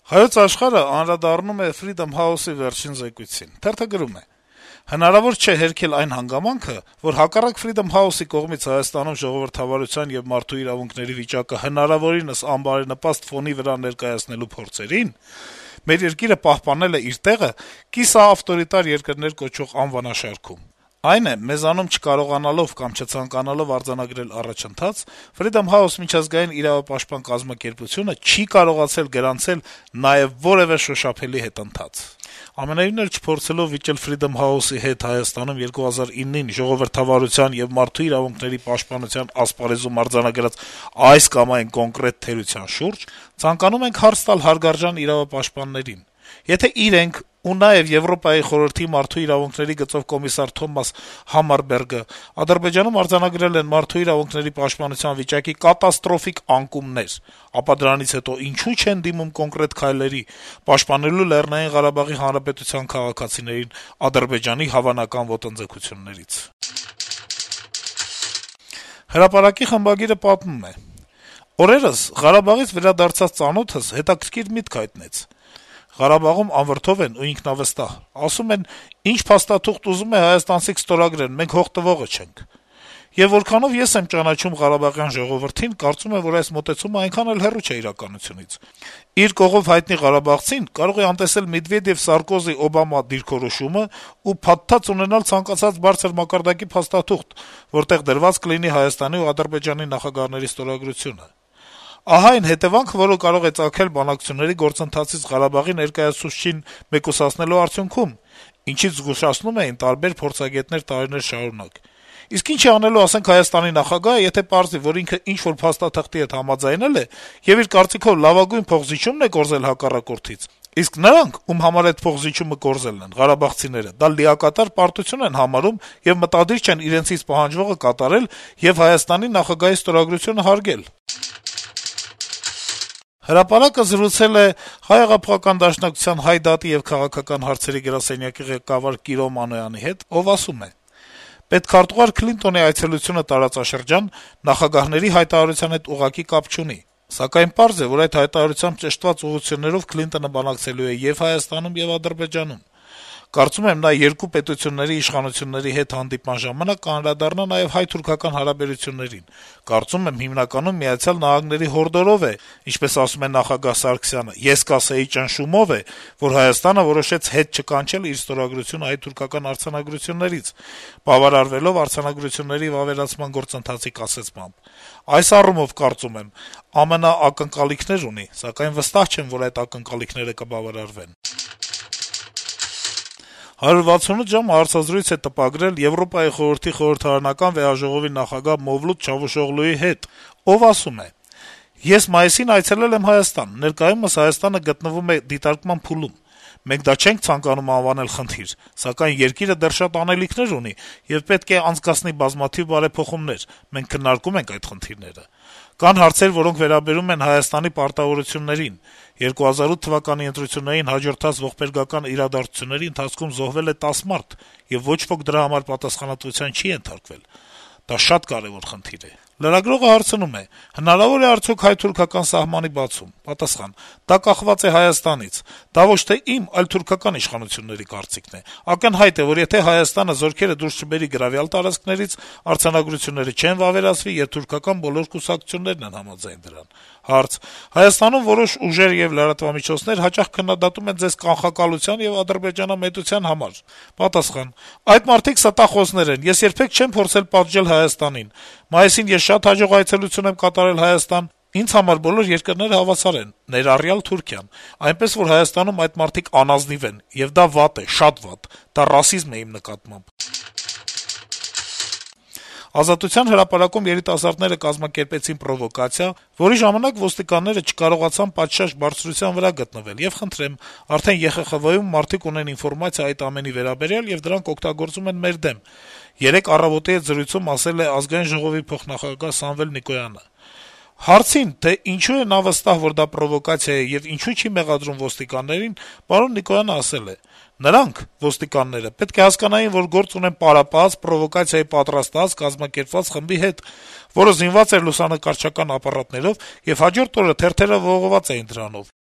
Հայոց աշխարհը անդրադառնում է Freedom House-ի վերջին զեկույցին. Թերթը գրում է. - «Հնարավոր չէ հերքել այն հանգամանքը, որ հակառակ Freedom House-ի կողմից Հայաստանում ժողովրդավարության եւ մարդու իրավունքների վիճակը հնարավորինս անբարենպաստ ֆոնի վրա ներկայացնելու փորձերին մեր երկիրը պահպանել է իր տեղը կիսաավտորիտար երկրներ կոչվող անվանաշարքում։ Այն է, մեզանում չկարողանալով կամ չցանկանալով արձանագրել առաջընթաց, Freedom House միջազգային իրավապաշտպան կազմակերպությունը չի կարողացել գրանցել նաեւ որեւէ շոշափելի հետընթաց։ Ամենայնիվ էլ չփորձելով վիճել Freedom House-ի հետ Հայաստանում 2009-ին ժողովրդավարության եւ մարդու իրավունքների պաշտպանության ասպարեզում արձանագրած այս կամ այն կոնկրետ թերության շուրջ, ցանկանում ենք հարց տալ հարգարժան իրավապաշտպաններին։ Եթե իրենք ու նաեւ Եվրոպայի խորհրդի մարդու իրավունքների գծով կոմիսար Թոմաս Համարբերգը Ադրբեջանում արձանագրել են մարդու իրավունքների պաշտպանության վիճակի կատաստրոֆիկ անկումներ, ապա դրանից հետո ինչու չեն դիմում կոնկրետ քայլերի պաշտպանելու Լեռնային Ղարաբաղի Հանրապետության քաղաքացիներին Ադրբեջանի հավանական ոտնձգություններից»։ Հրապարակի խմբագիրը պատմում է. - «Օրերս Ղարաբաղից վերադարձած ծանոթս հետաքրքիր միտք հայտնեց. Ղարաբաղում անվրդով են ու ինքնավստահ, ասում են, ինչ փաստաթուղթ ուզում է հայաստանցիք ստորագրեն, մենք հող տվողը չենք։ Եվ որքանով ես եմ ճանաչում ղարաբաղյան ժողովրդին, կարծում եմ, որ այս մոտեցումը այնքան էլ հեռու չէ իրականությունից։ Իր կողով հայտնի ղարաբաղցին կարող է անտեսել Մեդվեդեւ-Սարկոզի-Օբամա դիրքորոշումը ու փաթաթած ունենալ ցանկացած բարձր մակարդակի փաստաթուղթ, որտեղ դրված կլինի Հայաստանի ու Ադրբեջանի նախագահների ստորագրությունը։ Ահա այն հետեւանքը, որը կարող է ծագել բանակցությունների գործընթացից Ղարաբաղի ներկայացուցչին մեկուսացնելու արդյունքում, ինչից զգուշացնում էին տարբեր փորձագետներ տարիներ շարունակ։ Իսկ ինչ է անելու, ասենք, Հայաստանի նախագահը, եթե պարզվի, որ ինքը ինչ-որ փաստաթղթի հետ համաձայնել է եւ իր կարծիքով լավագույն փոխզիջումն է կորզել հակառակորդից, իսկ նրանք, ում համար այդ փոխզիջումը կորզելն են, ղարաբաղցիները, դա լիակատար պարտություն են համարում եւ մտադիր չեն իրենցից պահանջվողը կատարել եւ Հայաստանի նախագահի ստորագրությունը հարգել»։ Հրապարակը զրուցել է Հայ հեղափոխական դաշնակցության Հայ դատի եւ քաղաքական հարցերի գրասենյակի ղեկավար Կիրո Մանոյանի հետ, ով ասում է. - «Պետքարտուղար Քլինտոնի այցելությունը տարածաշրջան նախագահների հայտարարության հետ ուղղակի կապ չունի, սակայն պարզ է, որ այդ հայտարարությամբ ճշտված ուղղություններով Քլինտոնը բանակցելու է եւ Հայաստանում, եւ Ադրբեջանում։ Կարծում եմ, նա երկու պետությունների իշխանությունների հետ հանդիպման ժամանակ կանդրադառնա նաեւ հայ-թուրքական հարաբերություններին։ Կարծում եմ, հիմնականում Միացյալ Նահանգների հորդորով է, ինչպես ասում է նախագահ Սարգսյանը, ես կասեի ճնշումով է, որ Հայաստանը որոշեց հետ չկանչել իր ստորագրությունը հայ-թուրքական արձանագրություններից, բավարարվելով արձանագրությունների վավերացման գործընթացի կասեցմամբ։ Այս առումով, կարծում եմ, ԱՄՆ ակնկալիքներ ունի, սակայն վստահ չեմ, որ այդ ակնկալիքները կբավարարվեն»։ 168 ժամ հարցազրույց է տպագրել Եվրոպայի խորհրդի խորհրդարանական վեհաժողովի նախագահ Մովլութ Չավուշօղլուի հետ, ով ասում է. - «Ես մայիսին այցելել եմ Հայաստան, ներկայումս Հայաստանը գտնվում է դիտարկման փուլում։ Մենք դա չենք ցանկանում անվանել խնդիր, սակայն երկիրը դեռ շատ անելիքներ ունի եւ պետք է անցկացնի բազմաթիվ բարեփոխումներ, մենք քննարկում ենք այդ խնդիրները։ Կան հարցեր, որոնք վերաբերում են Հայաստանի պարտավորություններին։ 2008 թվականի ընտրություններին հաջորդած ողբերգական իրադարձությունների ընթացքում զոհվել է 10 մարդ, եւ ոչ ոք դրա համար պատասխանատվության չի ենթարկվել։ Դա շատ կարեւոր խնդիր է»։ Լրագրողը հարցնում է. - «Հնարավոր է արդյոք հայ-թուրքական սահմանի բացում»։ Պատասխան. - «Դա կախված է Հայաստանից։ Դա ոչ թե իմ, այլ թուրքական իշխանությունների կարծիքն է։ Ակնհայտ է, որ եթե Հայաստանը զորքերը դուրս չբերի գրավյալ տարածքներից, արձանագրությունները չեն վավերացվի, եւ թուրքական բոլոր կուսակցություններն են համաձայն դրան»։ Հարց. - «Հայաստանում որոշ ուժեր եւ լրատվամիջոցներ հաճախ քննադատում են ձեզ կանխակալության եւ ադրբեջանամետության համար»։ Պատասխան. - «Այդ մարդիկ ստախոսներ են, ես երբեք չեմ փորձել պատժել Հայաստանին։ Մայիսին ես շատ հաջող այցելություն եմ կատարել Հայաստան, ինձ համար բոլոր երկրները հավասար են, ներառյալ Թուրքիան, այնպես որ Հայաստանում այդ մարդիկ անազնիվ են, եւ դա վատ է, շատ վատ, դա ռասիզմ է իմ նկատմամբ»։ Ազատության հրապարակում երիտասարդները կազմակերպեցին պրովոկացիա, որի ժամանակ ոստիկանները չկարողացան պատշաճ բարձրության վրա գտնվել, եւ խնդրեմ, արդեն ԵԽԽՎ-ում մարդիկ ունեն ինֆորմացիա այդ ամենի վերաբերյալ եւ դրանք օգտագործում են մեր դեմ, երեկ առավոտի հետ զրույցում ասել է Ազգային ժողովի փոխնախագահ Սամվել Նիկոյանը։ Հարցին, թե ինչու է նա վստահ, որ դա պրովոկացիա է եւ ինչու չի մեղադրում ոստիկաններին, պարոն Նիկոյանը ասել է. «Նրանք, ոստիկանները, պետք է հասկանային, որ գործ ունեն պարապած, պրովոկացիայի պատրաստած, կազմակերպված խմբի հետ, որը զինված էր լուսանկարչական ապարատներով եւ հաջորդ օրը թերթերը ողողված էին դրանով։